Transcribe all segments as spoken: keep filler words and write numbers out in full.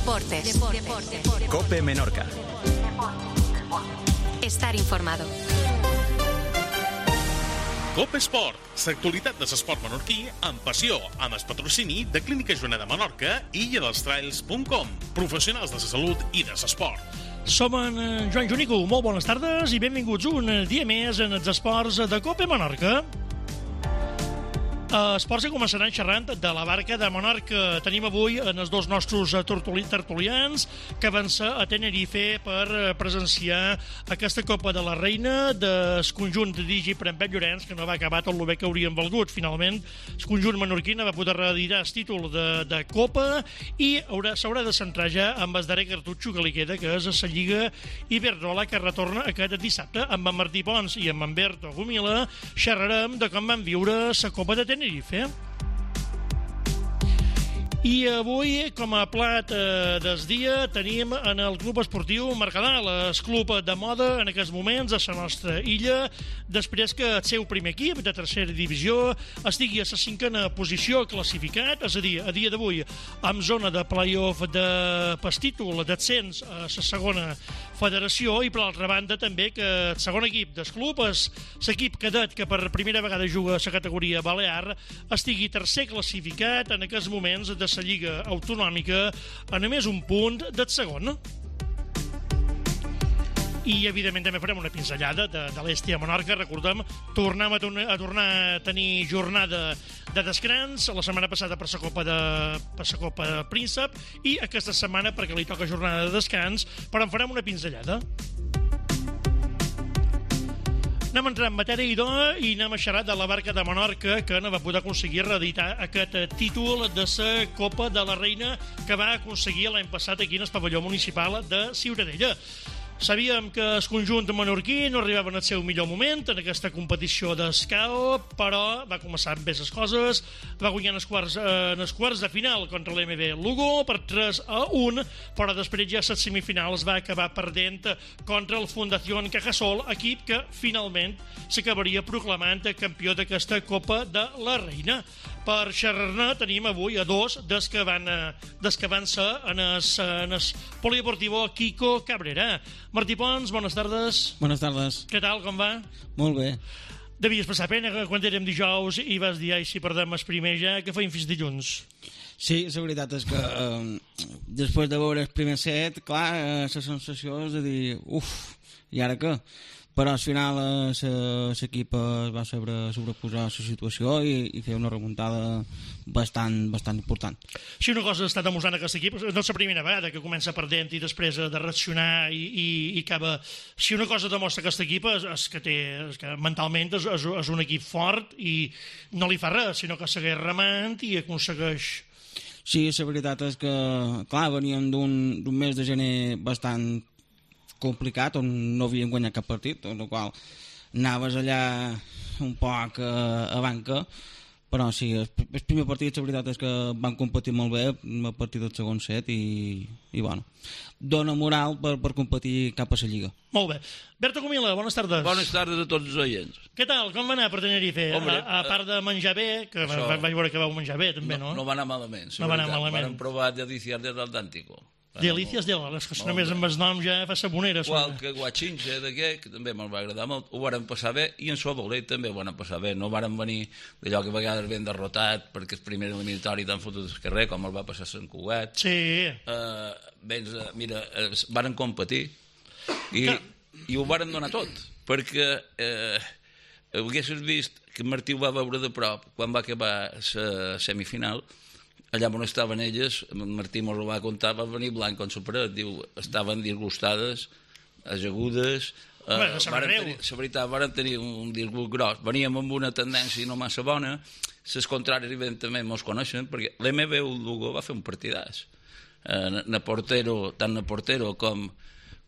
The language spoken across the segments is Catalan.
Deportes. Deportes. COPE Menorca. Estar informado. COPE Esport, l'actualitat de l'esport menorquí amb passió, amb el patrocini de Clínica Joaneda Menorca i illa dels trails punt com, professionals de la salut i de l'esport. Som en Joan Junico, molt bones tardes i benvinguts un dia més en els esports de COPE Menorca. Esports que començaran xerrant de la barca de Menorca. Tenim avui en els dos nostres tertulians que van ser a Tenerife per presenciar aquesta Copa de la Reina del conjunt dirigit per en Pep Llorenç, que no va acabar tot el bé que haurien valgut. Finalment, el conjunt menorquí va poder reeditar el títol de, de Copa i s'haurà de centrar ja amb el darrer cartutxo que li queda, que és la Lliga Iberdrola, que retorna aquest dissabte amb en Martí Pons i amb en Berto Gumila. Xerrarem de com van viure la Copa de Tenerife. Tenerife. I avui, com a plat eh, del dia, tenim en el Club Esportiu Mercadal, el club de moda en aquests moments a la nostra illa, després que el seu primer equip de tercera divisió estigui a la cinquena posició classificat, és a dir, a dia d'avui, amb zona de play-off de pel títol d'ascens a la segona federació, i per l'altra banda també que el segon equip del club és l'equip cadet que per primera vegada juga a la categoria Balear, estigui tercer classificat en aquests moments de la Lliga Autonòmica a només un punt del segon. I evidentment també farem una pinzellada de, de l'Esti a Menorca. Recordem, tornem a, a tornar a tenir jornada de descans la setmana passada per la Copa de per la Copa de Príncep, i aquesta setmana perquè li toca jornada de descans, però en farem una pinzellada. Anem a entrar en matèria idò i anem a xerrar de la barca de Menorca, que no va poder aconseguir reeditar aquest títol de la Copa de la Reina que va aconseguir l'any passat aquí en el pavelló municipal de Ciutadella. Sabíem que el conjunt menorquí no arribava en el seu millor moment en aquesta competició d'escau, però va començar amb bé les coses, va guanyar en els quarts, eh, en els quarts de final contra l'M B Lugo per tres a un, però després ja a les semifinals va acabar perdent contra el Fundación Cajasol, equip que finalment s'acabaria proclamant campió d'aquesta Copa de la Reina. Per xerrar-ne tenim avui a dos des que van, des que van ser en el, en el polideportivo Quico Cabrera. Martí Pons, bones tardes. Bones tardes. Què tal, com va? Molt bé. Devies passar pena quan érem dijous i vas dir, ai, si perdem el primer ja, que feim fins dilluns. Sí, la veritat és que eh, després de veure el primer set, clar, eh, la sensació és de dir, uf, i ara què? Però al final l'equip es va saber sobreposar la situació i, i fer una remuntada bastant, bastant important. Si una cosa està demostrant aquest equip, no és la primera vegada que comença perdent i després de reaccionar i, i, i acaba... Si una cosa demostra aquest equip és, és, que, té, és que mentalment és, és, és un equip fort i no li fa res, sinó que segueix remant i aconsegueix... Sí, la veritat és que, clar, veníem d'un mes de gener bastant complicat, on no havíem guanyat cap partit, en el qual anaves allà un poc a, a banca, però sí, el, el primer partit la veritat és que van competir molt bé a partir del segon set i, i bueno, dona moral per, per competir cap a la Lliga. Molt bé. Berto Gumila, bones tardes. Bones tardes a tots els oients. Què tal? Com va anar per Tenerife? Hombre, a, a part de menjar bé, que això, vaig veure que vau menjar bé també, no? No, no va anar malament. No va anar malament. Vam provar delicias del Atlántico. Delícies de les que només amb els noms ja fa sabonera. Qualque guatxinxa d'aquest, que també me'l va agradar molt, ho varen passar bé, i en Sobolet també ho varen passar bé. No varen venir d'allò que a vegades ben derrotat perquè el primer eliminatori tan fotut del carrer, com el va passar Sant Cugat. Sí. Uh, Béns, uh, mira, uh, varen competir i, i ho varen donar tot, perquè uh, haguessis vist que Martí ho va veure de prop quan va acabar la semifinal. Allà on estaven elles, Martí mos ho va contar, va venir blanc com superet, diu, estaven disgustades, ajagudes, eh, bueno, varen tenir, la veritat, van tenir un disgust gros, veníem amb una tendència no massa bona, les contràries evidentment mos coneixen, perquè l'M B Lugo va fer un partidàs, eh, na Portero, tant na Portero com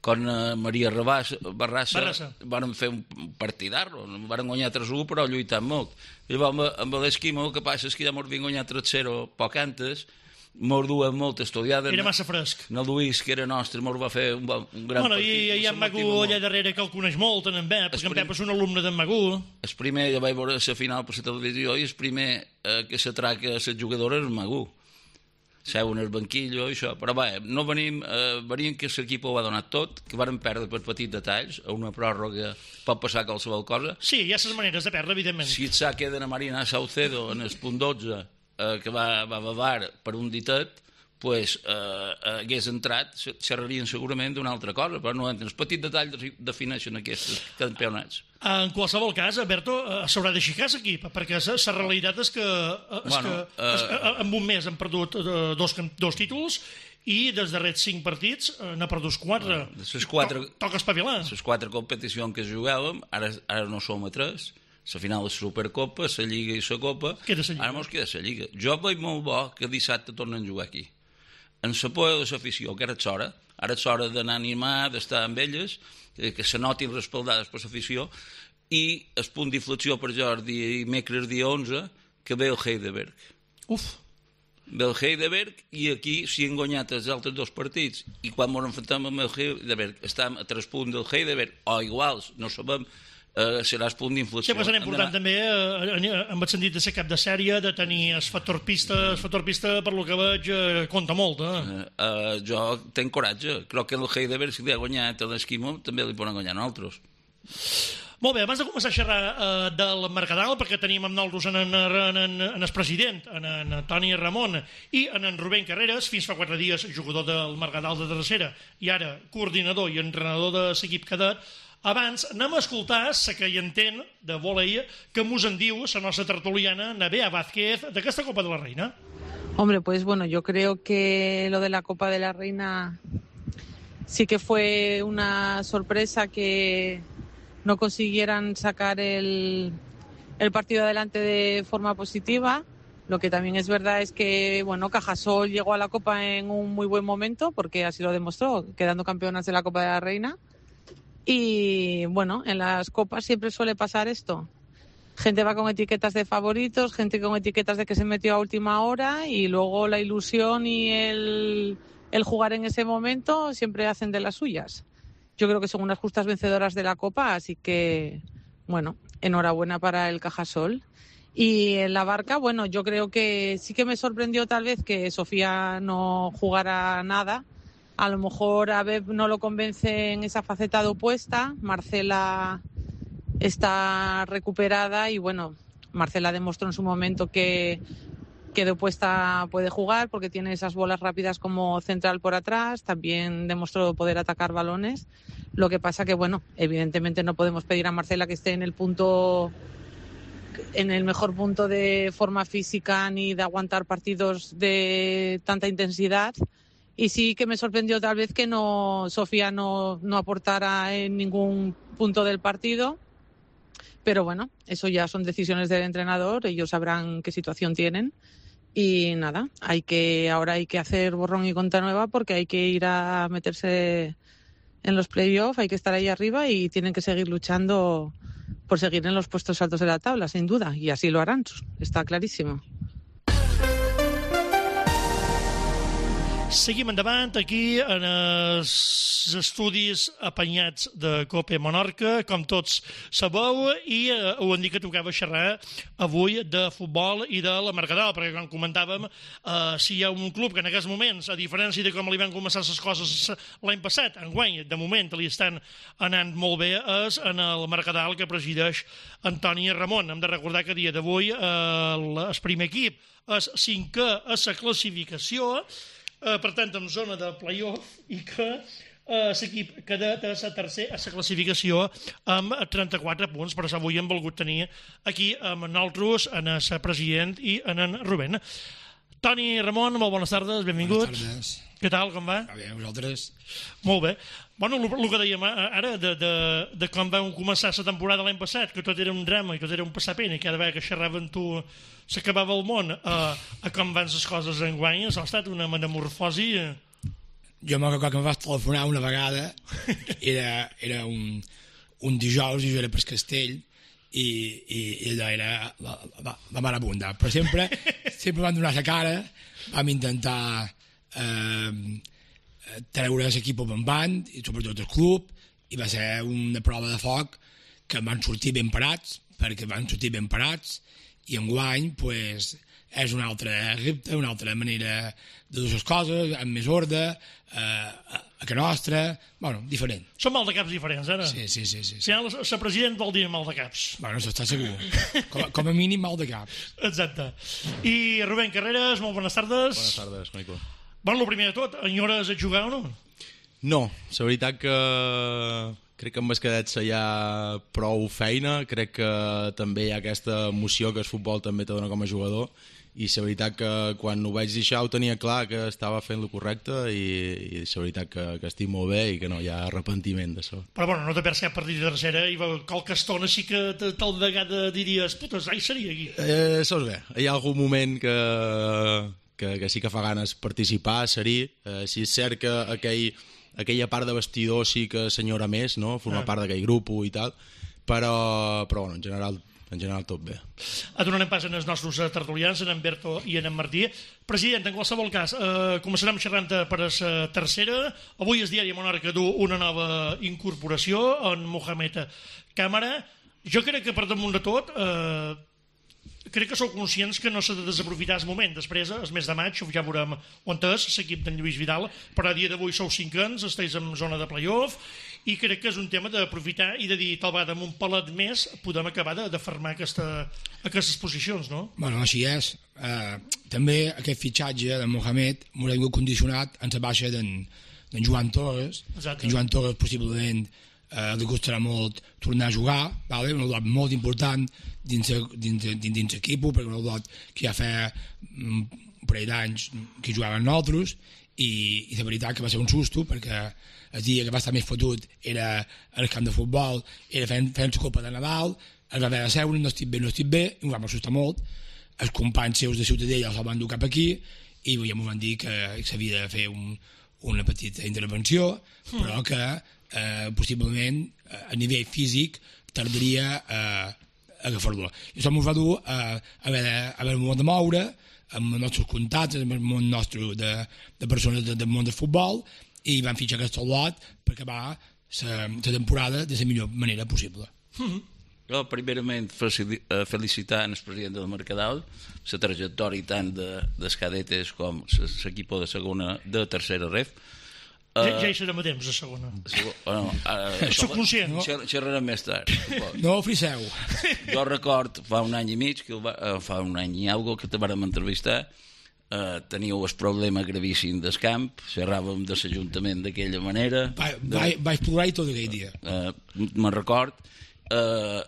com Maria Barrassa, Barrassa van fer un partidarro, van guanyar tres a u, però lluitant molt. I amb, amb l'Esquimo, el que passa és que ja mos havien guanyat tres a zero poc antes, mos duen molt estudiada. Era massa fresc. En el Lluís, que era nostre, mos va fer un, bon, un gran bueno, partit. I hi ha en Magú allà darrere que el coneix molt, en Pep, perquè en Pep és un alumne d'en Magú. El primer, ja vaig veure la final per la televisió, i el primer eh, que s'atraca a les jugadores és Magú. seuen al banquillo, això, però bé, no venim, eh, venim que l'equip ho ha donat tot, que varen perdre per petits detalls, a una pròrroga pot passar qualsevol cosa. Sí, hi ha les maneres de perdre, evidentment. Si et sa queda a Marina Saucedo en el punt dotze, eh, que va, va bavar per un ditet, pues, eh, hagués entrat, xerrarien segurament d'una altra cosa, però no entren. Els petits detalls defineixen aquests campionats. En qualsevol cas, Alberto, s'haurà d'aixecar l'equip, perquè la realitat és que, és Bueno, que és, eh, en un mes han perdut eh, dos, dos títols i dels darrers cinc partits eh, n'ha perdut quatre. De les quatre- To- Toca espavilar. Les quatre competicions que jugàvem, ara, ara no som a tres, la final de la Supercopa, la Lliga i la Copa, Queda la Lliga. ara mos queda la Lliga. Jo veig molt bo que dissabte tornen a jugar aquí. En la por de l'afició, que ara és hora, ara és hora d'anar a animar, d'estar amb elles, que, que se notin respaldades per l'afició, i el punt d'inflexió per Jordi i Mecres dia onze, que ve el Heidelberg. Uf, Ve el Heidelberg, i aquí s'hi han guanyat els altres dos partits, i quan ens enfrontem amb el Heidelberg, estem a tres punts del Heidelberg, o iguals, no sabem, eh, serà el punt d'inflexió. sí, però serà important també eh, en el sentit de ser cap de sèrie, de tenir el factor pista, el factor pista, per lo que veig, eh, compta molt, eh? Uh, uh, jo tenc coratge. Crec que el Heidelberg, si li ha guanyat l'Esquimó, també li poden guanyar nosaltres. Molt bé, abans de començar a xerrar eh, del Mercadal, perquè tenim amb nosaltres en, en, en, en, en el president, en, en Toni Ramon i en, en Rubén Carreras, fins fa quatre dies jugador del Mercadal de tercera i ara coordinador i entrenador de l'equip cadet. Abans anem a escoltar la que hi entén de volei que mos en diu la nostra tertuliana Nabea Vázquez d'aquesta Copa de la Reina. Hombre, pues bueno, yo creo que lo de la Copa de la Reina sí que fue una sorpresa que no consiguieran sacar el, el partido adelante de forma positiva. Lo que también es verdad es que, bueno, Cajasol llegó a la Copa en un muy buen momento, porque así lo demostró, quedando campeonas de la Copa de la Reina. Y, bueno, en las Copas siempre suele pasar esto. Gente va con etiquetas de favoritos, gente con etiquetas de que se metió a última hora, y luego la ilusión y el, el jugar en ese momento siempre hacen de las suyas. Yo creo que son unas justas vencedoras de la Copa, así que, bueno, enhorabuena para el Cajasol. Y en la Barca, bueno, yo creo que sí que me sorprendió tal vez que Sofía no jugara nada. A lo mejor a Beb no lo convence en esa faceta de opuesta. Marcela está recuperada y, bueno, Marcela demostró en su momento que, que de opuesta puede jugar porque tiene esas bolas rápidas como central por atrás. También demostró poder atacar balones. Lo que pasa que, bueno, evidentemente no podemos pedir a Marcela que esté en el punto... en el mejor punto de forma física ni de aguantar partidos de tanta intensidad. Y sí que me sorprendió tal vez que no Sofía no, no aportara en ningún punto del partido. Pero bueno, eso ya son decisiones del entrenador, ellos sabrán qué situación tienen. Y nada, hay que ahora hay que hacer borrón y cuenta nueva porque hay que ir a meterse en los playoffs, hay que estar ahí arriba y tienen que seguir luchando por seguir en los puestos altos de la tabla, sin duda, y así lo harán, está clarísimo. Seguim endavant aquí en els estudis apanyats de Copa Menorca, com tots sabeu, i eh, ho han dit que tocava xerrar avui de futbol i de la Mercadal, perquè com comentàvem, eh, si hi ha un club que en aquests moments, a diferència de com li van començar les coses l'any passat, enguany, de moment li estan anant molt bé, és en el Mercadal que presideix Antoni Ramon. Hem de recordar que a dia d'avui eh, el primer equip és cinquè a la classificació, Uh, per tant, en zona de play-off, i que uh, l'equip cadet és a tercer a la classificació amb trenta-quatre punts. Per això avui hem volgut tenir aquí amb nosaltres, en el president i en en Rubén. Toni Ramon, molt bones tardes, benvingut. Bones tardes. Què tal, com va? Va bé, vosaltres? Molt bé. Bueno, el que dèiem ara, de, de, de com vam començar la temporada l'any passat, que tot era un drama i tot era un passar pena, i cada vegada que xerrava amb tu s'acabava el món, a, a com van les coses enguany, ha estat una metamorfosi. Jo me'n recordo que em vas telefonar una vegada, era, era un, un dijous, i jo era per Castell, i, i, i allò era la, la, la marabunda. Però sempre, sempre vam donar la cara, vam intentar eh, treure l'equip bombant, i sobretot el club, i va ser una prova de foc que van sortir ben parats, perquè van sortir ben parats, i enguany pues, és un altre repte, una altra manera de dur les coses, amb més ordre, eh, a que nostra, bueno, diferent. Són mal de caps diferents, ara? Sí, sí, sí. sí, sí. Si la president vol dir mal de caps. Bueno, això està segur. Com, com a mínim mal de caps. Exacte. I Rubén Carreras, molt bones tardes. Bones tardes, Mico. Bueno, el primer de tot, enyores a jugar o no? No, la veritat que crec que amb els cadets hi ha prou feina, crec que també hi ha aquesta emoció que el futbol també te dona com a jugador, i la veritat que quan ho vaig deixar ho tenia clar que estava fent el correcte, i, i la veritat que, que estic molt bé i que no hi ha arrepentiment d'això. Però bueno, no te perds cap partit de tercera i qualque estona sí que tal vegada diries putes, ai, seria aquí. Eh, saps bé, hi ha algun moment que, que, que sí que fa ganes participar, seria, eh, si és cert que aquell, aquella part de vestidor sí que senyora més, no? Formar ah. part d'aquell grup i tal, però, però bueno, en general en general tot bé. Donarem pas en els nostres tertulians, en Berto i en Martí. President, en qualsevol cas, eh, començarem xerrant per la tercera. Avui el diari Monarca du una nova incorporació, en Mohamed Càmara. Jo crec que per damunt de tot, eh, crec que sou conscients que no s'ha de desaprofitar el moment. Després, el mes de maig, ja veurem on és l'equip d'en Lluís Vidal, però a dia d'avui sou cinc anys, esteu en zona de play-off, i crec que és un tema d'aprofitar i de dir, tal vegada, amb un palet més podem acabar de, de fermar aquesta, aquestes posicions, no? Bueno, així és. Eh, també aquest fitxatge de Mohamed m'ho ha vingut condicionat en la baixa d'en Joan Torres. Exacte. En Joan Torres possiblement eh, li costarà molt tornar a jugar, vale? Un lot molt important dins l'equip, perquè un lot que ja fa un parell d'anys que jugaven nosaltres, i, i de veritat que va ser un susto, perquè el dia que va estar més fotut era al camp de futbol, era fent, fent la copa de Nadal, es va haver de seure, no estic bé, no estic bé, i em va assustar molt. Els companys seus de Ciutadella els van dur cap aquí, i ja m'ho van dir que s'havia de fer un, una petita intervenció, mm. però que eh, possiblement a nivell físic tardaria a eh, agafar-lo. I això m'ho va dur a haver de, haver de moure amb els nostres contactes, amb el món nostre de, de persones de, del món del futbol, i van fitxar aquest lot per acabar la temporada de la millor manera possible. Mm-hmm. Jo, primerament, felicitar el president del Mercadal, la trajectòria tant de, dels cadetes com l'equip de segona, de tercera ref. Ja, ja hi serem a temps, a segona. Bueno, ara, soc conscient, no? Xerrarem més tard. No ofriceu. Jo record fa un any i mig, que va, fa un any i algo, que te vàrem entrevistar. Uh, teníeu el problema gravíssim del camp, xerràvem de l'Ajuntament d'aquella manera. Va, de... va, vaig plorar tot aquell dia. Uh, me'n record. Uh,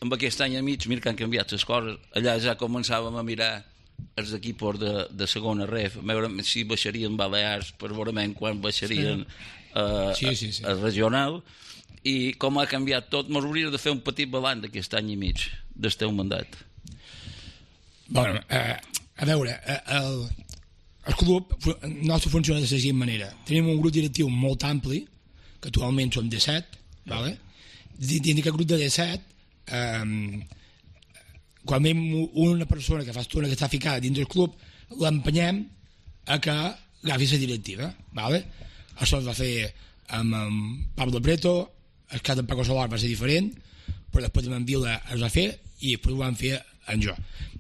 amb aquest any i mig, mira que han canviat les coses. Allà ja començàvem a mirar els equips de, de segona ref, a veure si baixarien Balears, per veure quan baixarien uh, sí, sí, sí. el regional, i com ha canviat tot. Mos hauria de fer un petit balanç d'aquest any i mig del teu mandat. Bueno, eh, a veure, el, el club nostre funciona de la següent manera. Tenim un grup directiu molt ampli, que actualment som disset, vale? Dins d'aquest grup de disset, eh, quan veiem una persona que fa estona que està ficada dins del club, l'empenyem a que agafi la directiva, vale? Això es va fer amb, amb Pablo Preto, el cas de Paco Solar va ser diferent, però després amb en Vila es va fer i després ho van fer en jo.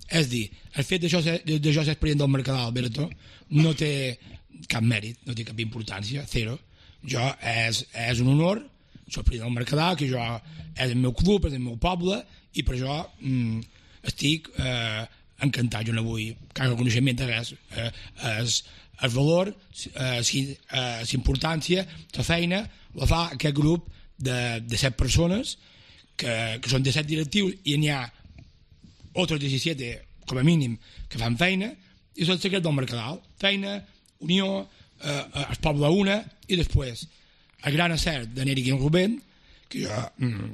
És dir, el fet de jo ser, de jo ser president del Mercadal, Berto, no té cap mèrit, no té cap importància, zero. Jo és, és un honor, soc president del Mercadal, que jo és el meu club, és el meu poble, i per això mm, estic eh, encantat. Jo no vull cap reconeixement de res. Eh, és, el valor, eh, l'importància, la feina, la fa aquest grup de, de set persones, que, que són de set directius, i n'hi ha otros disset, com a mínim, que fan feina, i és el secret del Mercadal. Feina, unió, eh, el poble una, i després el gran acert de Neri i en Rubén, que jo,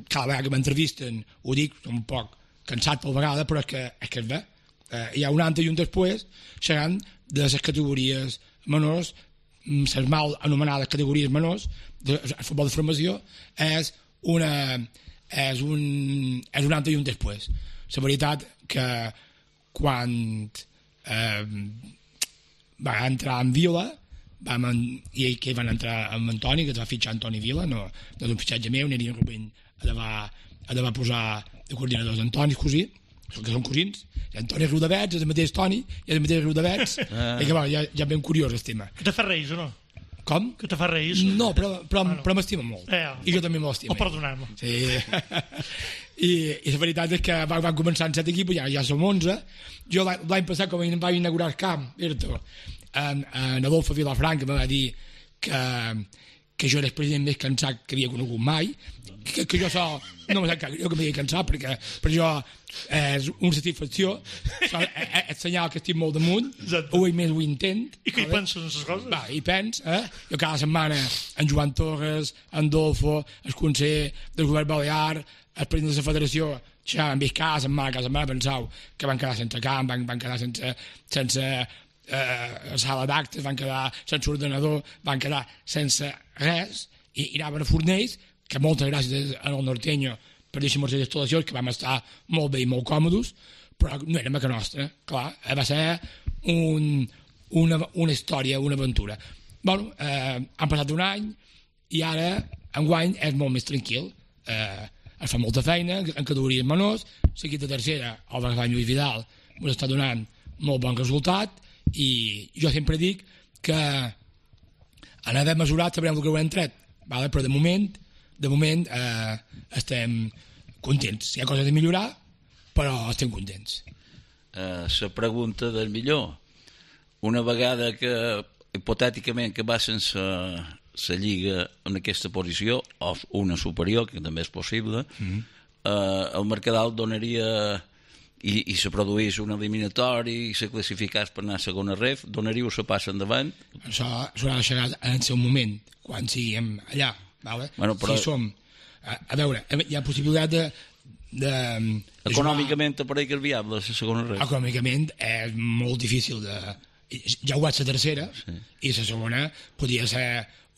cada vegada que m'entrevisten, ho dic, un poc cansat per vegada, però és que és, que és bé. Eh, hi ha un antes i un després, seran de les categories menors, les mal anomenades categories menors, del futbol de formació, és una... és un, és un antes i un després. La veritat que quan eh, va entrar en Vila, vam en, i ell que van entrar amb Antoni, que es va fitxar Antoni Vila, no, no és un fitxatge meu, Neri Rubén ha de va, ha de va posar de coordinadors d'Antoni, cosí, que són cosins, en Toni Riudavets és el mateix Toni i és el mateix Riudavets, ah. i que bueno, ja, ja ben curiós el tema. Que te fa reis o no? Com? Que te fa reis? No, però, però, ah, no. però m'estima molt. Eh, I jo també me l'estima. O perdonar-me. Sí. I, I la veritat és que van, van començar en set equips, ja, ja som onze. Jo l'any passat, com vaig inaugurar el camp, en, en Adolfo Vilafranca me va dir que, que jo era el president més cansat que havia conegut mai, que, que jo so, no me sap que jo que m'havia cansat, perquè per jo és una satisfacció, és senyal que estic molt damunt, ho he més ho intent. I que hi penses en les coses? Va, hi pens, eh? Jo cada setmana, en Joan Torres, en Dolfo, el conseller del govern balear, el president de la federació, ja han vist cada setmana, cada setmana pensau que van quedar sense camp, van, van quedar sense, sense eh, sala d'actes, van quedar sense ordenador, van quedar sense res, i, i anaven a Fornells, que moltes gràcies al Norteño per deixar-nos les instal·lacions, que vam estar molt bé i molt còmodes, però no era que nostra, clar, va ser un, una, una història, una aventura. Bueno, eh, han passat un any i ara, enguany, és molt més tranquil. Eh, es fa molta feina, en categories menors, l'equip de tercera, el Barcelona Lluís Vidal, ens està donant molt bon resultat, i jo sempre dic que en haver mesurat sabrem el que ho hem tret, vale? Però de moment, de moment eh, estem contents. Hi ha coses a millorar, però estem contents. Uh, la pregunta del millor. Una vegada que, hipotèticament, que va sense la Lliga en aquesta posició, o una superior, que també és possible, mm-hmm. uh, el Mercadal donaria, i, i se produís un eliminatori, i se classificàs per anar a segona ref, donaríeu la passa endavant? Això s'haurà de llegar en el seu moment, quan siguem allà. Vale? Bueno, però... Si som, a, a veure, hi ha possibilitat de, de, de econòmicament te pareix que és viable la segona ref? Econòmicament és molt difícil de... Ja ho vaig la tercera, sí. I la segona podria ser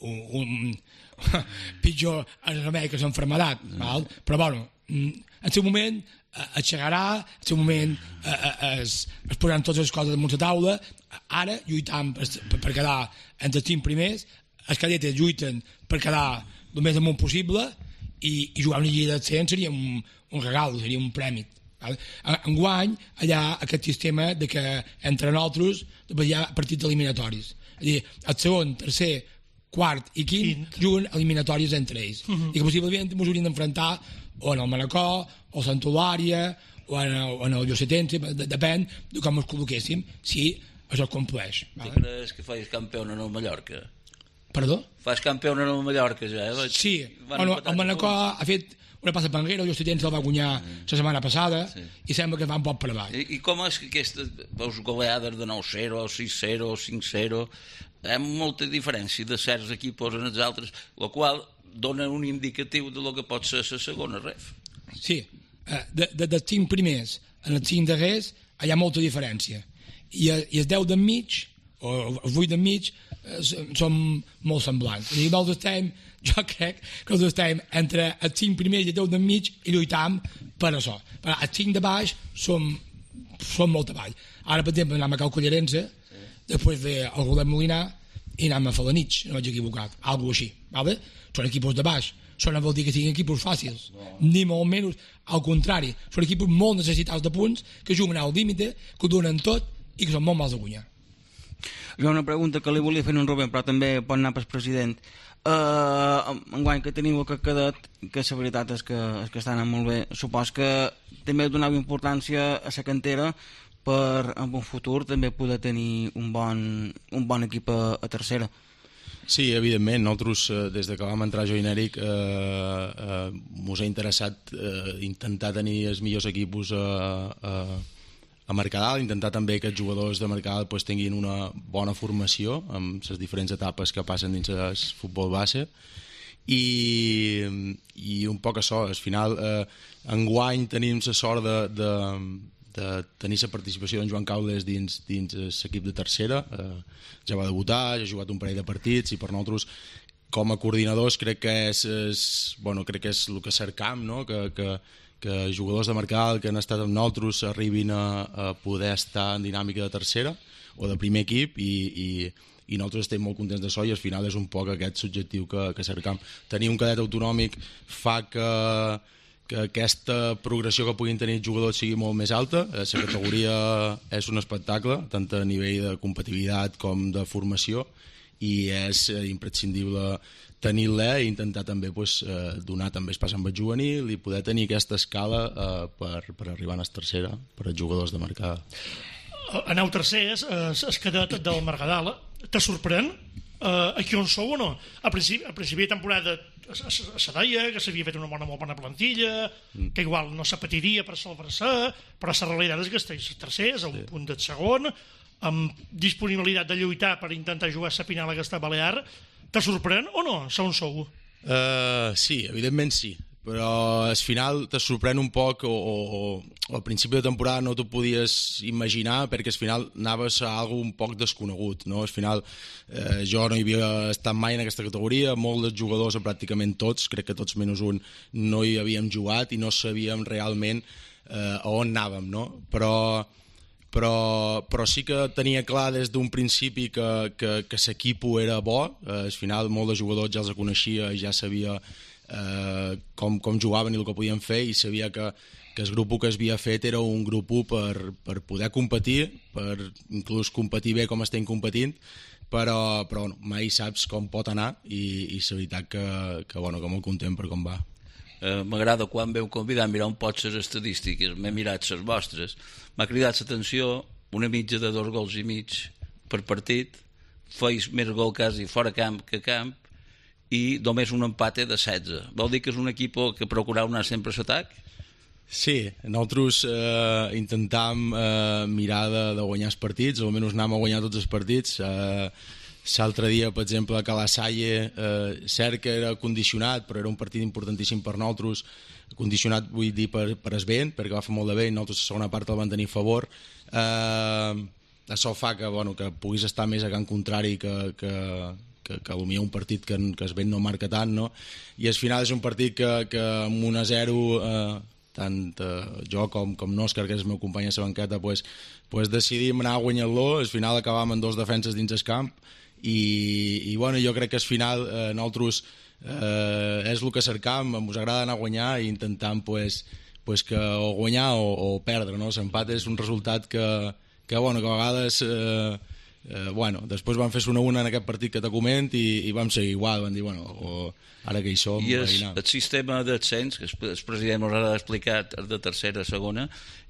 un, un pitjor el remei que l'enfermedat, mm. val? Però bueno, en seu moment es llegarà, en seu moment es, es posaran totes les coses damunt la taula. Ara lluitam per, per, per quedar entre els cinc primers, els cadetes lluiten per quedar el més amunt possible, i, i jugar una lliga de cent seria un, un regal, seria un prèmit. Vale? Enguany hi ha aquest sistema de que entre nosaltres hi ha partits eliminatoris. És a dir, el segon, tercer, quart i quint, quint. juguen eliminatoris entre ells. Uh-huh. I que possiblement ens haurien d'enfrontar o en el Manacor, o a Santa Eulària, o en el, en el Llosetense, depèn de com ens col·loquéssim, si això es compleix. Vale? Tu creus que faig campió en el Mallorca? Perdó? Fas campió en el Mallorca ja, eh? Sí, bueno, el Manacor ha fet una passa per enrere, el Llosetense el va guanyar mm. la setmana passada, sí. I sembla que va un poc per avall. I, i com és que aquestes veus goleades de nou zero, sis zero, cinc zero, hi ha molta diferència de certs equips en els altres, el qual dona un indicatiu de lo que pot ser la segona ref. Sí, de, de, dels cinc primers en els cinc darrers hi ha molta diferència. I, i els deu d'enmig, o els vuit d'enmig, són molt semblants. I nosaltres estem, jo crec que nosaltres estem entre els cinc primers i els deu d'enmig i lluitam per això. Per els cinc de baix som, som molt avall. Ara, per exemple, anem a Cal Collarense, sí. Després ve el Rodet Molinar i anem a Falanich, no vaig equivocat, alguna així. Vale? Són equipos de baix. Això no vol dir que siguin equipos fàcils, no. Ni molt menys, al contrari. Són equipos molt necessitats de punts, que juguen al límite, que ho donen tot i que són molt mals de guanyar. Hi ha una pregunta que li volia fer en Rubén, però també pot anar pel president. Uh, enguany que teniu aquest cadet, que la veritat és que, és que està anant molt bé, supos que també donava importància a la cantera per en un futur també poder tenir un bon, un bon equip a, a tercera. Sí, evidentment, nosaltres eh, des de que vam entrar jo i Nèric eh, eh, mos ha interessat eh, intentar tenir els millors equips a, a, a Mercadal, intentar també que els jugadors de Mercadal pues, tinguin una bona formació amb les diferents etapes que passen dins el futbol base i, i un poc això, al final eh, enguany tenim la sort de, de, de tenir la participació d'en Joan Caules dins, dins l'equip de tercera, eh, ja va debutar, ja ha jugat un parell de partits i per nosaltres com a coordinadors crec que és, és, bueno, crec que és el que cercam, no? que, que que jugadors de Mercadal que han estat amb nosaltres arribin a, a poder estar en dinàmica de tercera o de primer equip i, i, i nosaltres estem molt contents d'això i al final és un poc aquest subjectiu que, que cercam. Tenir un cadet autonòmic fa que, que aquesta progressió que puguin tenir els jugadors sigui molt més alta. La categoria és un espectacle, tant a nivell de competitivitat com de formació, i és imprescindible tenir-la i intentar també pues, donar també pas amb el juvenil i poder tenir aquesta escala eh, per, per arribar a la tercera per als jugadors de marcada. Aneu tercers, es cadet del Margadala, te sorprèn? Uh, aquí on sou o no? A principi, a principi de temporada se deia que s'havia fet una bona, molt bona plantilla, mm. que igual no se patiria per salvar-se, però la realitat és que estàs tercers, a un sí. punt del segon, amb disponibilitat de lluitar per intentar jugar a la final aquesta Balear. Te sorprèn o no? On sou? Uh, sí, evidentment sí, però al final te sorprèn un poc o, o, o al principi de temporada no t'ho podies imaginar perquè al final anaves a algo un poc desconegut, no? Al final eh, jo no hi havia estat mai en aquesta categoria, molts dels jugadors, pràcticament tots, crec que tots menys un, no hi havíem jugat i no sabíem realment eh, a on anàvem, no? Però, però, però sí que tenia clar des d'un principi que, que, que l'equip era bo, eh, al final molts de jugadors ja els coneixia i ja sabia Eh, com, com jugaven i el que podien fer i sabia que, que el grup que s'havia fet era un grup per, per poder competir, per inclús competir bé com estem competint, però, però no, mai saps com pot anar i, i la veritat que, que, bueno, que molt content per com va. Eh, M'agrada quan veu convidar a mirar un poc les estadístiques, m'he mirat les vostres, m'ha cridat l'atenció una mitja de dos gols i mig per partit, feis més gol quasi fora camp que camp i només un empate de setze. Vol dir que és un equip que procurau anar sempre a l'atac? Sí, nosaltres eh, intentam eh, mirar de, de guanyar els partits, almenys anem a guanyar tots els partits. Eh, l'altre dia, per exemple, a la Salle, eh, cert que era condicionat, però era un partit importantíssim per nosaltres, condicionat vull dir per, per el vent, perquè va fer molt de vent, nosaltres la segona part el van tenir a favor. Eh, això fa que, bueno, que puguis estar més a camp contrari que... que que, que potser un partit que, que es vent no marca tant, no? I al final és un partit que, que amb un a zero eh, tant eh, jo com, com n'Òscar, que és el meu company a la banqueta, pues, pues decidim anar guanyant-lo, al final acabàvem amb dos defenses dins el camp i, i bueno, jo crec que al final eh, nosaltres eh, és el que cercam, ens agrada anar a guanyar i intentant pues, pues que o guanyar o, o perdre, no? L'empat és un resultat que, que, bueno, que a vegades... Eh, Eh, bueno, després van fer una una en aquest partit que te coment i, i vam seguir igual, van dir, bueno, o, ara que hi som... I el, el sistema d'ascens, que el president us ha explicat, de tercera, segona,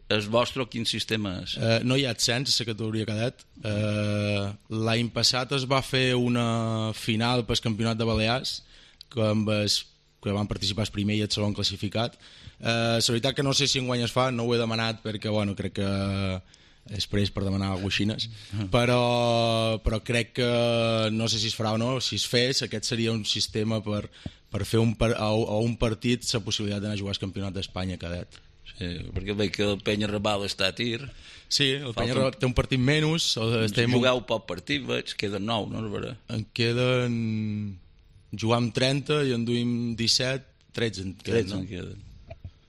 el vostre quin sistema és? Eh, no hi ha ascens a la categoria cadet. Eh, l'any passat es va fer una final pel campionat de Balears, que, amb es, que van participar el primer i el segon classificat. Eh, la veritat que no sé si enguany es fa, no ho he demanat perquè, bueno, crec que... després per demanar guaixines, però, però crec que no sé si es farà o no, si es fes aquest seria un sistema per, per fer un, a, a un partit la possibilitat d'anar a jugar al campionat d'Espanya cadet. Sí, perquè veig que el Penya Raval està a tir. Sí, el Penya Raval té un partit menys. Estem... Jugueu poc partit, veig, queden nou, no? En queden... Jugam trenta i en duim disset, tretze en queden. tretze en queden.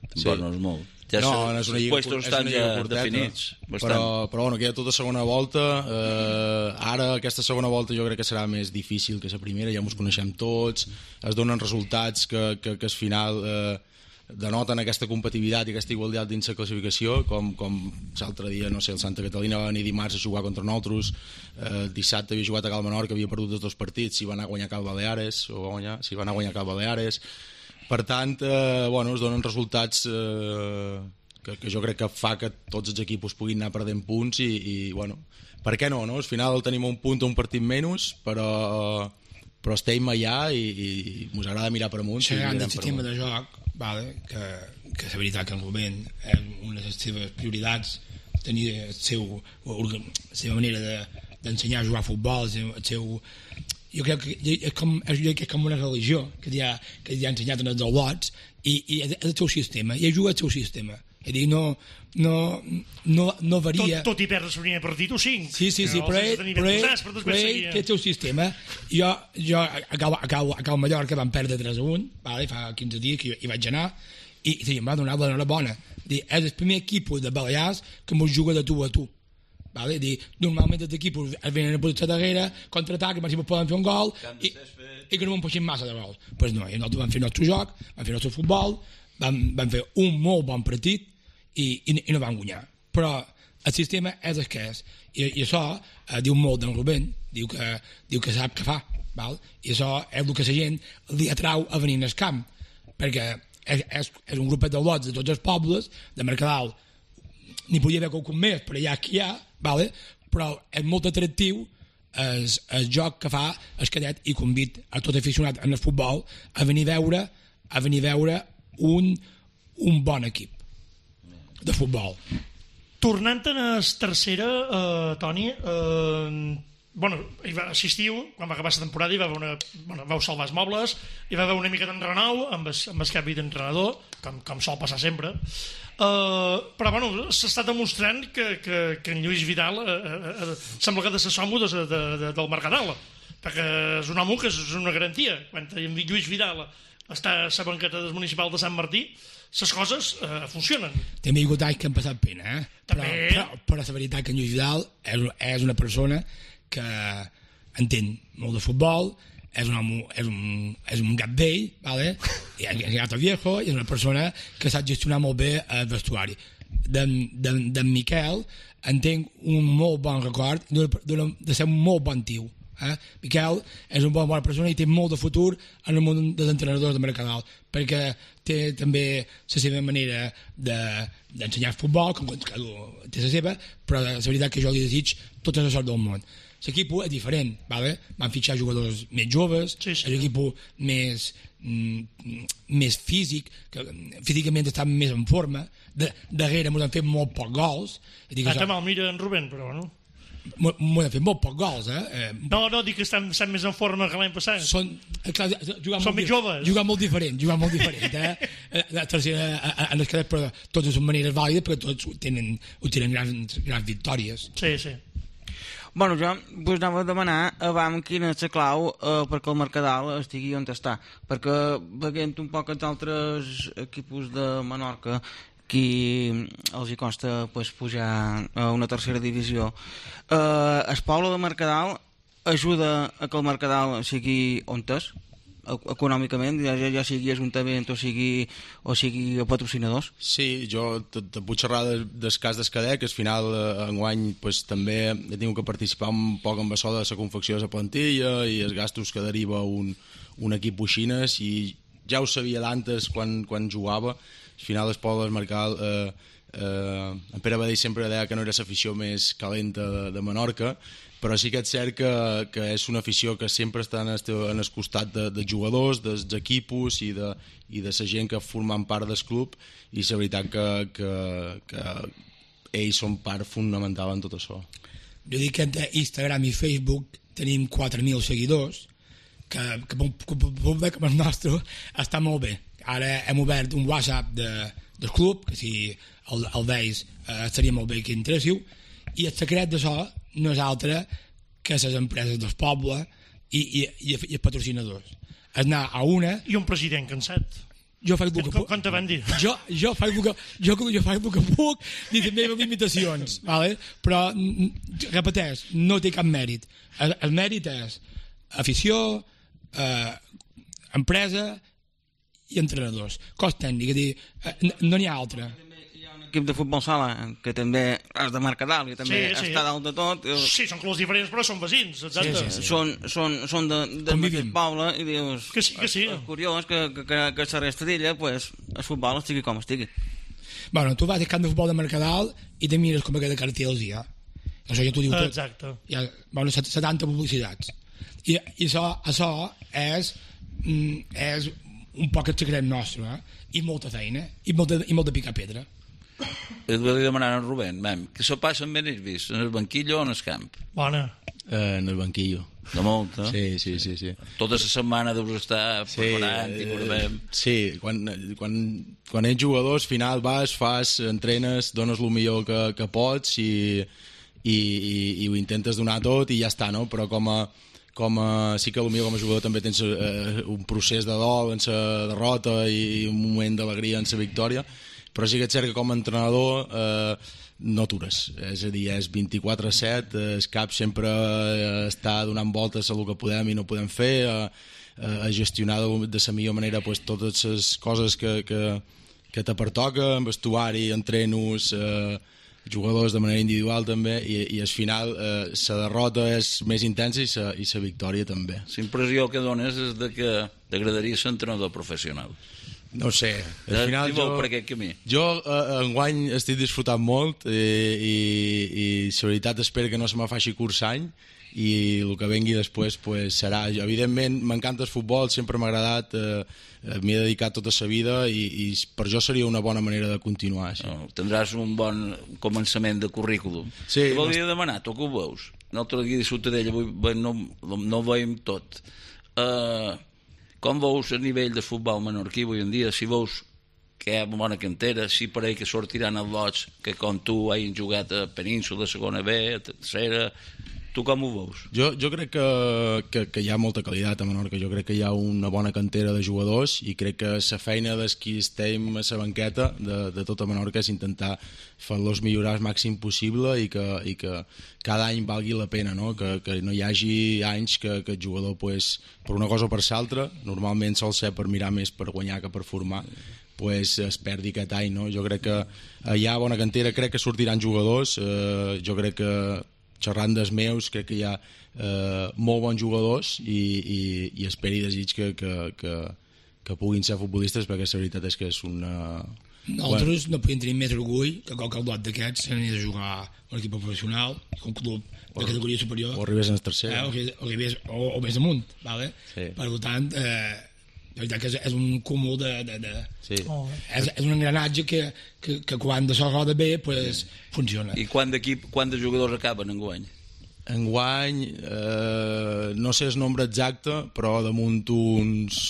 Tampoc sí. No és molt. Ja no, no és una lliga, és una lliga curteta, definits, però, però bueno, queda tota segona volta. Eh, ara aquesta segona volta jo crec que serà més difícil que la primera, ja ens coneixem tots, es donen resultats que, que, que al final eh, denoten aquesta competitivitat i aquesta igualtat dins la classificació, com, com l'altre dia, no sé, el Santa Catalina va venir dimarts a jugar contra nosaltres, eh, dissabte havia jugat a Cal Menor, que havia perdut els dos partits, si va anar a guanyar Cal Baleares, o va guanyar, si va anar a guanyar Cal Baleares. Per tant, eh, bueno, es donen resultats eh, que, que jo crec que fa que tots els equips puguin anar perdent punts i, i bueno, per què no, no? Al final tenim un punt o un partit menys, però, però estem allà i, i ens agrada mirar per amunt. Xerrant del sistema de joc, vale, que, que és veritat que en el moment és una de les seves prioritats tenir el seu, la seva manera de, d'ensenyar a jugar a futbol, el seu... El seu jo crec que és com, és com una religió que ja, que ja ha ensenyat en elsalots i, i és el seu sistema, i juga el seu sistema, és a dir, no no, no, no varia tot, tot i perdre el primer partit o cinc sí, sí, sí, però ell, però ell, però ell té el seu sistema. Jo, jo a Cal, a Cal, a Cal Mallorca vam perdre tres a un, vale, fa quinze dies que hi vaig anar i sí, em va donar l'enhorabona, és el primer equip de Balears que mos juga de tu a tu. Vale? Dir, normalment els equips es venen a posar a darrere, contraatac, i si poden fer un gol i, i que no me'n posin massa de gols. Pues no, nosaltres vam fer el nostre joc, vam fer el nostre futbol, van, van fer un molt bon partit i, i, i no van guanyar. Però el sistema és el que és. I, i això eh, diu molt d'en Rubén, diu que, diu que sap què fa. Val? I això és el que la gent li atrau a venir al camp, perquè és, és, és un grupet de lots de tots els pobles, de Mercadal n'hi podia haver qualcun més, però ja aquí hi ha, vale? Però és molt atractiu el, el joc que fa el cadet i convit a tot aficionat en el futbol a venir a veure, a venir a veure un, un bon equip de futbol. Tornant a la tercera, eh, Toni, eh, bueno, hi va assistiu, quan va acabar la temporada hi va haver una, bueno, vau salvar els mobles, hi va haver una mica d'enrenou amb el, amb el canvi d'entrenador, com, com sol passar sempre, uh, però bueno, s'està demostrant que, que, que en Lluís Vidal uh, uh, uh, sembla que ha de ser somo de, de, de, del Mercadal, perquè és un home que és una garantia. Quan Lluís Vidal està a la banqueta del municipal de Sant Martí, les coses uh, funcionen. També hi ha hagut anys que han passat pena, eh? Però, però, però la veritat que en Lluís Vidal és, és una persona que entén molt de futbol, és un, home, és un, és un gat vell, vale? I és un gat viejo, i és una persona que sap gestionar molt bé el vestuari. D'en de Miquel entenc un molt bon record de, de, de ser un molt bon tio. Eh? Miquel és una bona persona i té molt de futur en el món dels entrenadors de Mercadal, perquè té també la seva manera d'ensenyar de, futbol, com que té la seva, però la veritat que jo li desig tota la sort del món. L'equip és diferent, vale? Van fitxar jugadors més joves, sí, sí. L'equip més, mm, més físic, que físicament estan més en forma, de, darrere ens han fet molt pocs gols. Ah, també el mira en Rubén, però no? M'ho han fet molt pocs gols, eh? No, no, dic que estan, estan més en forma que l'any passat. Són, clar, Són més joves. Jugar molt diferent, jugar molt diferent, eh? La tercera, en els cadets, però totes són maneres vàlides, perquè tots tenen, tenen grans, grans victòries. Sí, sí. Bueno, jo vos anava a demanar abans quina és la clau eh, perquè el Mercadal estigui on està, perquè veient un poc els altres equips de Menorca qui els hi costa pues, pujar a una tercera divisió, eh, el poble de Mercadal ajuda a que el Mercadal sigui on és econòmicament, ja, ja sigui ajuntament o sigui, o sigui patrocinadors? Sí, jo te, te puc xerrar del, del cas d'Escadec, que al final eh, enguany pues, també he tingut que participar un poc amb això de la confecció de la plantilla i els gastos que deriva un, un equip boixines, i ja ho sabia d'antes quan, quan jugava. Al final el poble del Mercadal, eh, eh, en Pere Badell sempre deia que no era l'afició més calenta de, de Menorca, però sí que és cert que, que és una afició que sempre està en el, en el costat de, de jugadors, dels equipos i de, i de la gent que formen part del club, i la veritat que, que, que ells són part fonamental en tot això. Jo dic que entre Instagram i Facebook tenim quatre mil seguidors, que, que puc veure com el nostre està molt bé. Ara hem obert un WhatsApp de, del club, que si el, el veus eh, seria molt bé que interessiu, i el secret d'això no és altre que les empreses del poble i, i, i, i els patrocinadors. És anar a una... I un president cansat. Jo faig el que puc. Com te van dir? Jo, jo faig el que, jo, jo faig el que puc dir les meves limitacions, vale? Però, repeteix, no té cap mèrit. El, el mèrit és afició, eh, empresa i entrenadors. Cos tècnic, és dir, eh, no n'hi ha altre. Equip de futbol sala, que també és de Mercadal i també sí, sí. està dalt de tot. Sí, són clubs diferents, però són veïns, exacte. Sí, sí, sí. Són, són, són de, del mateix poble i dius... Que sí, que sí. És, és curiós que, que, que, que la resta d'ella, pues, el futbol estigui com estigui. Bueno, tu vas al camp de futbol de Mercadal i te mires com aquella cartells hi ha. Això ja t'ho diu tot. Exacte. Hi ha, bueno, setanta publicitats. I, i això, això és, és un poc el secret nostre, eh? I molta feina, i molt de, i molt de picar pedra. Et volia demanar a Rubén, mem, que s'ho passen ben ells vist, en el banquillo o en el camp? Bona. Eh, en el banquillo. De molt, eh? Sí, sí, sí. sí. Tota la setmana deus estar sí, preparant i veurem. Sí, quan, quan, quan ets jugador, al final vas, fas, entrenes, dones el millor que, que pots i, i, i, i ho intentes donar tot i ja està, no? Però com a, com a, sí que potser com a jugador també tens eh, un procés de dol en la derrota i un moment d'alegria en la victòria, però sí que és cert que com a entrenador eh, no atures, és a dir, és vint-i-quatre set, el cap sempre està donant voltes a el que podem i no podem fer, a, a gestionar de la millor manera pues, totes les coses que, que, que te pertoca, amb vestuari, entrenos, eh, jugadors de manera individual també, i, i al final eh, la derrota és més intensa i la i la victòria també. La impressió que dones és de que t'agradaria ser entrenador professional. No sé, al final jo, per aquest camí. jo eh, enguany estic disfrutant molt i, i, i la veritat espero que no se me faci curs any i el que vengui després pues, serà. Evidentment m'encanta el futbol, sempre m'ha agradat, eh, m'hi he dedicat tota la vida i, i per jo seria una bona manera de continuar. Sí. No, tindràs un bon començament de currículum. Sí, Te volia no... demanar, tu que ho veus? L'altre dia de Ciutadella no, no ho veiem tot. Uh, com veus a nivell de futbol menorquí avui en dia? Si veus que hi ha bona cantera, si pareix que sortiran els lots que com tu hagin jugat a Península, a segona B, a tercera... Tu com ho veus? Jo, jo crec que, que, que hi ha molta qualitat a Menorca, jo crec que hi ha una bona cantera de jugadors i crec que la feina dels qui estem a la banqueta de, de tota Menorca és intentar fer-los millorar el màxim possible i que, i que cada any valgui la pena, no? Que, que no hi hagi anys que, que el jugador pues, per una cosa o per l'altra, normalment sol ser per mirar més per guanyar que per formar, pues es perdi aquest any, no? Jo crec que hi ha bona cantera, crec que sortiran jugadors, eh, jo crec que xerrant dels meus, crec que hi ha eh, molt bons jugadors i, i, i espero i desig que, que, que, que puguin ser futbolistes, perquè la veritat és que és una... Nosaltres bueno. no podem tenir més orgull que qualque lot d'aquests s'anés a jugar a un equip professional, un club de categoria superior, o arribés en el tercer, eh, o, o, arribés, o, o més amunt, vale? Sí. Per tant, eh, la veritat que és, és un cúmul de... de, de sí. oh, és, és un engranatge que, que, que quan de la roda bé pues, funciona. I quant d'equip, quant de jugadors acaben enguany? Enguany, eh, no sé el nombre exacte, però damunt uns...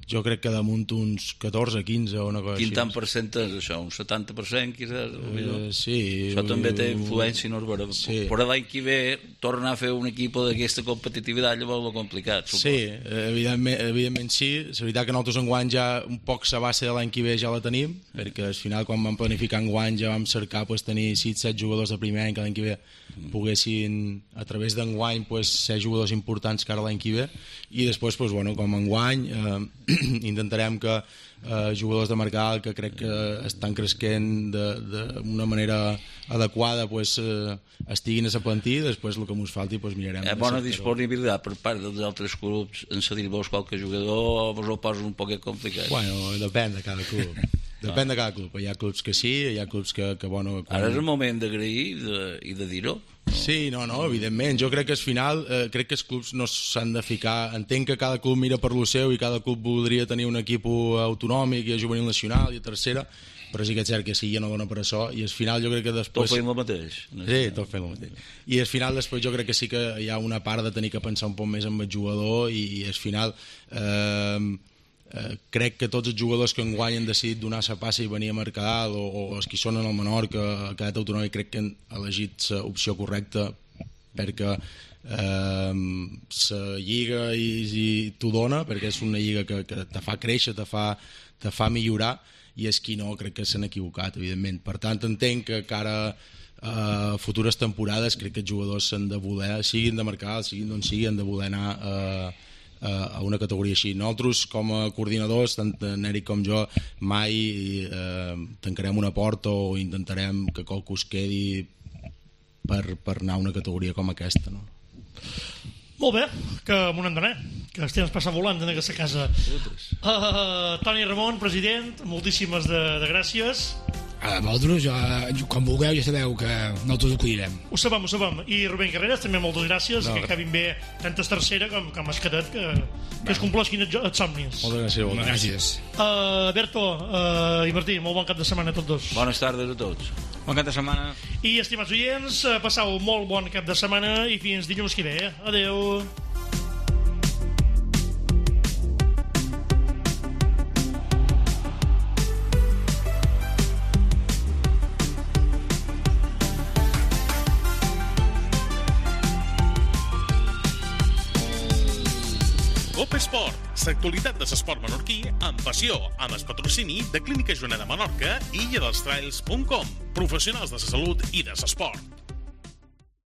Jo crec que damunt uns catorze, quinze o una cosa Quin així. Quin tant per cent és això? Un setanta per cent, quizás? Uh, sí. Això també té influència, no és vera. Sí. Però l'any que ve, tornar a fer un equip d'aquesta competitivitat llavors és complicat, suposo. Sí, evidentment, evidentment sí. La veritat que nosaltres enguany ja un poc la base de l'any que ve ja la tenim, sí. Perquè al final quan vam planificar enguany ja vam cercar pues, tenir sis set jugadors de primer any que l'any que ve mm. poguessin, a través d'enguany, pues, ser jugadors importants cara l'any que ve, i després, pues, bueno, com enguany, eh, intentarem que eh, jugadors de mercat que crec que estan cresquent d'una manera adequada pues, eh, estiguin a la plantilla, després el que ens falti pues, mirarem. Hi ha bona disponibilitat per part dels altres clubs en cedir-vos qualque jugador o vos ho posa un poc complicat? Bueno, depèn de cada club. Depèn de cada club. Hi ha clubs que sí, hi ha clubs que... que bueno, quan... Ara és el moment d'agrair de, i de dir-ho. No. Sí, no, no, evidentment. Jo crec que al final, eh, crec que els clubs no s'han de ficar... Entenc que cada club mira per lo seu i cada club voldria tenir un equip autonòmic i a juvenil nacional i a tercera, però sí que és cert que sí, ja no dona per això, i al final jo crec que després... Tot fent el mateix. No sí, tot fent el mateix. I al final després jo crec que sí que hi ha una part de tenir que pensar un poc més en el jugador i, i al final... Eh, Eh, crec que tots els jugadors que enguany han decidit donar la passa i venir a Mercadal o, o els que són en el Menorca, a cadet autonòmic, crec que han elegit l'opció correcta perquè eh, la lliga i, i t'ho dona, perquè és una lliga que, que te fa créixer, te fa, te fa millorar, i és qui no, crec que s'han equivocat, evidentment. Per tant, entenc que cara a futures temporades crec que els jugadors s'han de voler, siguin de Mercadal, siguin d'on siguin, han de voler anar a eh, a una categoria així. Nosaltres com a coordinadors, tant en Eric com jo, mai eh, tancarem una porta o intentarem que qualcú es quedi per, per anar a una categoria com aquesta, no? Molt bé, que m'ho n'hem d'anar, que el temps passa volant en aquesta casa. Uh, Toni Ramon, president, moltíssimes de, de gràcies. A vosaltres, jo, quan vulgueu, ja sabeu que nosaltres acudirem. Ho sabem, ho sabem. I Rubén Carreras, també moltes gràcies, no, que acabin bé tant a tercera com, com es cadet, que, que es compleixin els, els somnis. Moltes gràcies. Moltes gràcies. Uh, Berto uh, i Martí, molt bon cap de setmana a tots dos. Bones tardes a tots. Bon cap de setmana. I, estimats oients, passau molt bon cap de setmana i fins dilluns que ve. Adeu. Esport, l'actualitat de l'esport menorquí amb passió, amb el patrocini de Clínica Joaneda Menorca i illa dels trails punt com, professionals de la salut i de l'esport.